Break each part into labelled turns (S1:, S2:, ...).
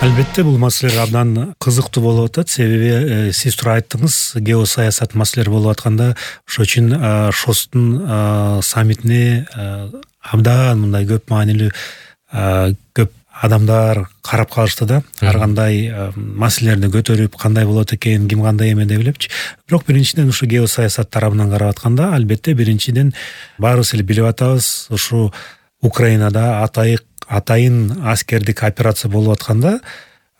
S1: Албетте бул маселелер абдан кызыктуу болуп атат. Себеби сиз туура айттыңыз, геосаясат маселелери болуп атканда ошол үчүн ШОСтун саммитине абдан мындай көп маанилүү көп адамдар карап калышты да. Ар кандай маселелерди көтөрүп, кандай болот экен, ким кандай эме деп элепчи. Бирок биринчиден ушу геосаясат тарабынан карап атканда, албетте биринчиден баарыбыз эле билип атабыз, ушу Украинада атайын аскердик операция болуп атканда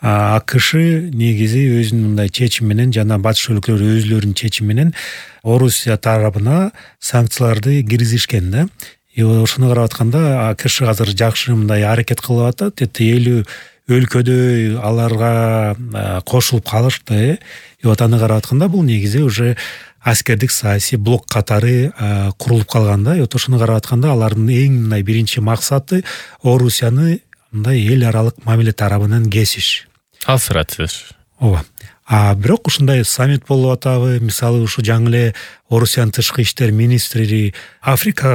S1: АКШ негизи өзүнүн мындай чечими менен жана батыш өлкөлөрү өзүлөрүнүн чечими менен Орусия тарабына санкцияларды киргизишкен да. Ошону карап атканда АКШ азыр жакшы мындай аракет кылып атат. 50 өлкөдөй аларга кошулуп калышты. Аны карап атканда бул негизи уже аскердик саясий блок катары курулуп калган да. Ошону карап атканда алардын эң мындай биринчи максаты Орусияны мындай эл аралык мамиле тарабынан кесиш.
S2: Алсыратыш.
S1: Ооба. Бирок ушундай саммит болуп атабы? Мисалы ушу жаңы эле Орусиянын тышкы иштер министри Африка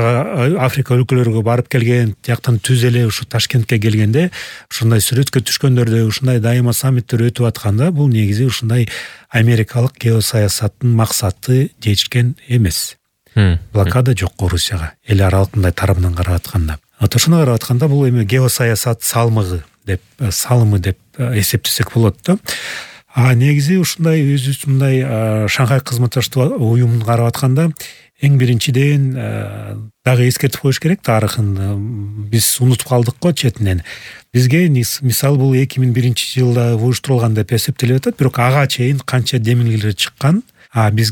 S1: өлкөлөрүгө барып келген, тияктан түз эле ушу Ташкентке келгенде ушундай сүрөткө түшкөндөрдө ушундай дайыма саммиттер өтүп атканда бул негизи ушундай америкалык геосаясаттын максаты жетишкен эмес. Блокада жок Орусияга, эл аралык мындай тарабынан карап атканда. Ошону карап атканда бул эми геосаясат салымы деп эсептесек болот да. Негизи ушундай өзүбүз мындай Шанхай кызматташтык уюмун карап атканда эң биринчиден дагы эскертип коюш керек, тарыхын биз унутуп калдык го четинен. Бизге мисалы бул 2001 жылда уюштурулган деп эсептелип атат, бирок ага чейин канча демилгелер чыккан. Биз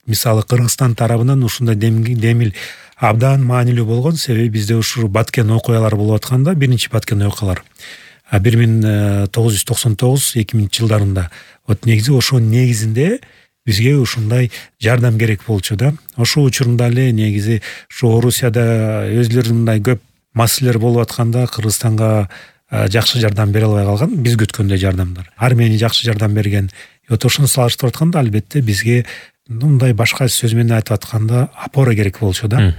S1: мисалы Кыргызстан тарабынан ушундай демил абдан маанилүү болгон, себеби бизде ушу Баткен окуялары болуп атканда, биринчи Баткен окуялар 1999-2000 жылдарында. Негизи ошонун негизинде бизге ушундай жардам керек болчу да. Ошол учурунда эле негизи ушу Орусияда өзлөрүнүн мындай көп маселелер болуп атканда Кыргызстанга жакшы жардам бере албай калган, биз күткөндөй жардамдар. Армения жакшы жардам берген. Ошону салыштырып атканда албетте бизге мындай башка сөз менен айтып атканда опора керек болчу да.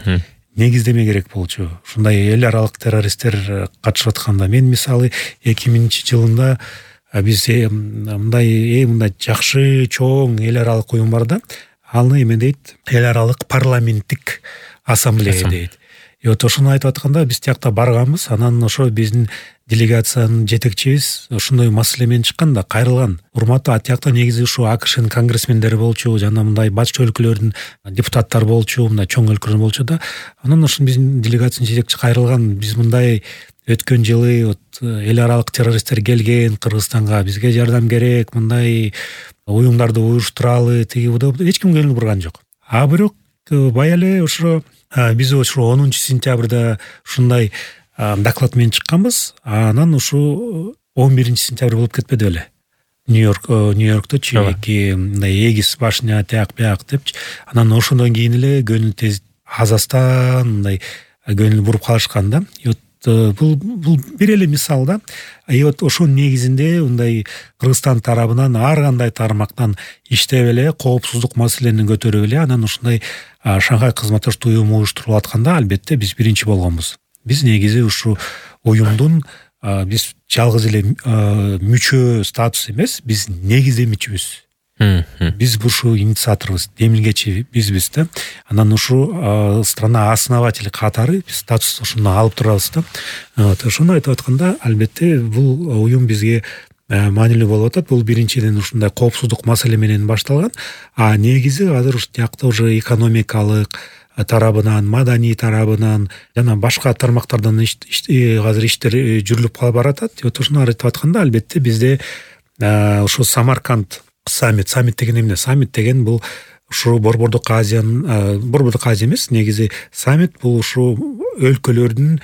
S1: Негиздеме керек болчу. Ушундай эл аралык террористтер катышып атканда, мен мисалы 2000 жылында биз мындай жакшы чоң эл аралык уюм бар да. Аны эме дейт, эл аралык парламенттик ассамблея дейт. Ошону айтып атканда биз тиякта барганбыз, анан ошо биздин делегациянын жетекчибиз ошондой маселе менен чыккан да, кайрылган. Урматтуу, тиякта негизи ушу АКШнын конгрессмендери болчу, жана мындай батыш өлкөлөрүнүн депутаттары болчу, мындай чоң өлкөлөр болчу да. Анан ошо биздин делегациянын жетекчиси кайрылган. Биз мындай өткөн жылы эл аралык террористтер келген Кыргызстанга, бизге жардам керек, мындай уюмдарды уюштуралы, эч ким көңүл бурган жок. Бирок бая эле ошо биз ошо 10 сентябрда ушундай доклад менен чыкканбыз. Анан ушу 11 сентябрь болуп кетпеди беле? Нью-Йоркто чеки мындай эгис башня тияк бияк депчи. Анан ошондон кийин эле көңүл тез Казакстан мындай көңүл буруп калышкан да. Бул бир эле мисал да. Ошонун негизинде мындай Кыргызстан тарабынан ар кандай тармактан иштеп эле коопсуздук маселени көтөрүп эле анан ушундай Шанхай кызматташтык уюму уюштурулуп атканда албетте биз биринчи болгонбуз. Биз негизи ушу уюмдун биз жалгыз эле мүчө статус эмес, биз негизи мүчөбүз. Биз ушу инициаторбуз, демилгечи бизбиз да. Анан ушу страна основатели катары биз статус ушуну алып турабыз да. Ошону айтып атканда албетте бул уюм бизге маанилүү болуп атат. Бул биринчиден ушундай коопсуздук маселе менен башталган. Негизи азыр ушу тиякта уже экономикалык тарабынан, маданий тарабынан жана башка тармактардан азыр иштер жүрүлүп баратат. Ошону айтып атканда албетте бизде ушу Самарканд саммит деген эмне? Саммит деген бул ушу Борбордук Азия эмес, негизи саммит бул ушу өлкөлөрдүн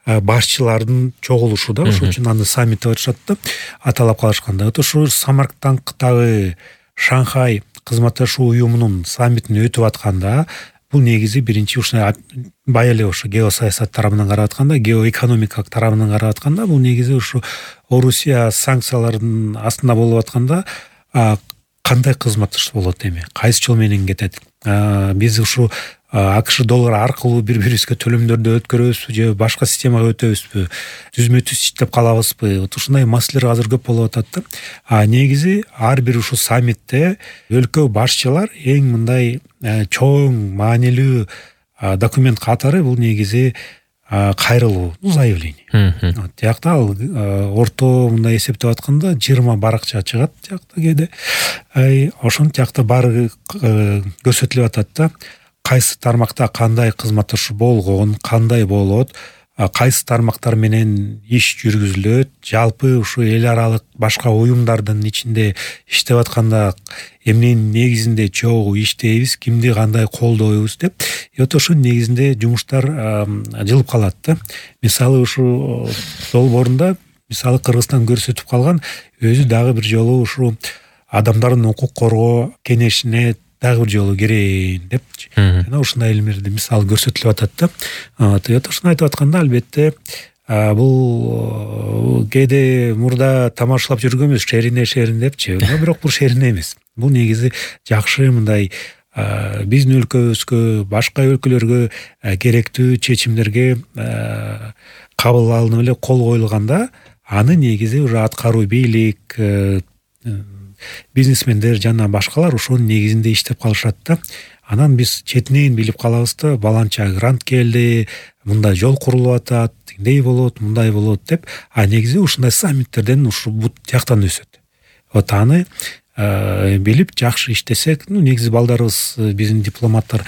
S1: башчылардын чогулушу да. Ошол үчүн аны саммит деп атышат да, аталап калышканда. Ошо Самарканддагы Шанхай кызматташуу уюмунун саммитин өтүп атканда бул негизи биринчи ушундай бая эле ошо геосаясат тарабынан карап атканда, геоэкономикалык тарабынан карап атканда бул негизи ушу Орусия санкциялардын астында болуп атканда кандай кызматташтык болот эми, кайсы жол менен кетет? Биз ушу АКШ доллары аркылуу бири бирибизге төлөмдөрдү өткөрөбүзбү же башка системага өтөбүзбү, түзмө түз иштеп калабызбы, ушундай маселелер азыр көп болуп атат да. Негизи ар бир ушул саммитте өлкө башчылар эң мындай чоң маанилүү документ катары бул негизи кайрылуу, заявление. Тиякта ал орто мындай эсептеп атканда 20 баракча чыгат тиякта кээде. Ошонун тиякта баары көрсөтүлүп атат да. Кайсы тармакта кандай кызматташуу болгон, кандай болот, кайсы тармактар менен иш жүргүзүлөт, жалпы ушу эл аралык башка уюмдардын ичинде иштеп атканда эмненин негизинде чогуу иштейбиз, кимди кандай колдойбуз деп. Ошонун негизинде жумуштар жылып калат да. Мисалы ушу долбоорунда мисалы Кыргызстан көрсөтүп калган өзү дагы бир жолу ушу адамдардын укук коргоо кеңешине дагы бир жолу кирейин депчи. Жана ушундай элемерди мисал көрсөтүлүп атат да. Ошону айтып атканда албетте бул кээде мурда тамашалап жүргөнбүз шерине депчи. Бирок бул шерине эмес. Бул негизи жакшы мындай биздин өлкөбүзгө, башка өлкөлөргө керектүү чечимдерге кабыл алынып эле кол коюлганда, аны негизи уже аткаруу бийлик, бизнесмендер жана башкалар ошонун негизинде иштеп калышат да. Анан биз четинен билип калабыз да, баланча грант келди, мындай жол курулуп атат, тиндей болот, мындай болот деп. Негизи ушундай саммиттерден ушу бут тияктан өсөт. Аны билип жакшы иштесек, негизи балдарыбыз, биздин дипломаттар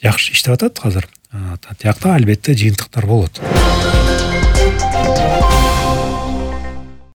S1: жакшы иштеп атат азыр. Тиякта албетте жыйынтыктар болот.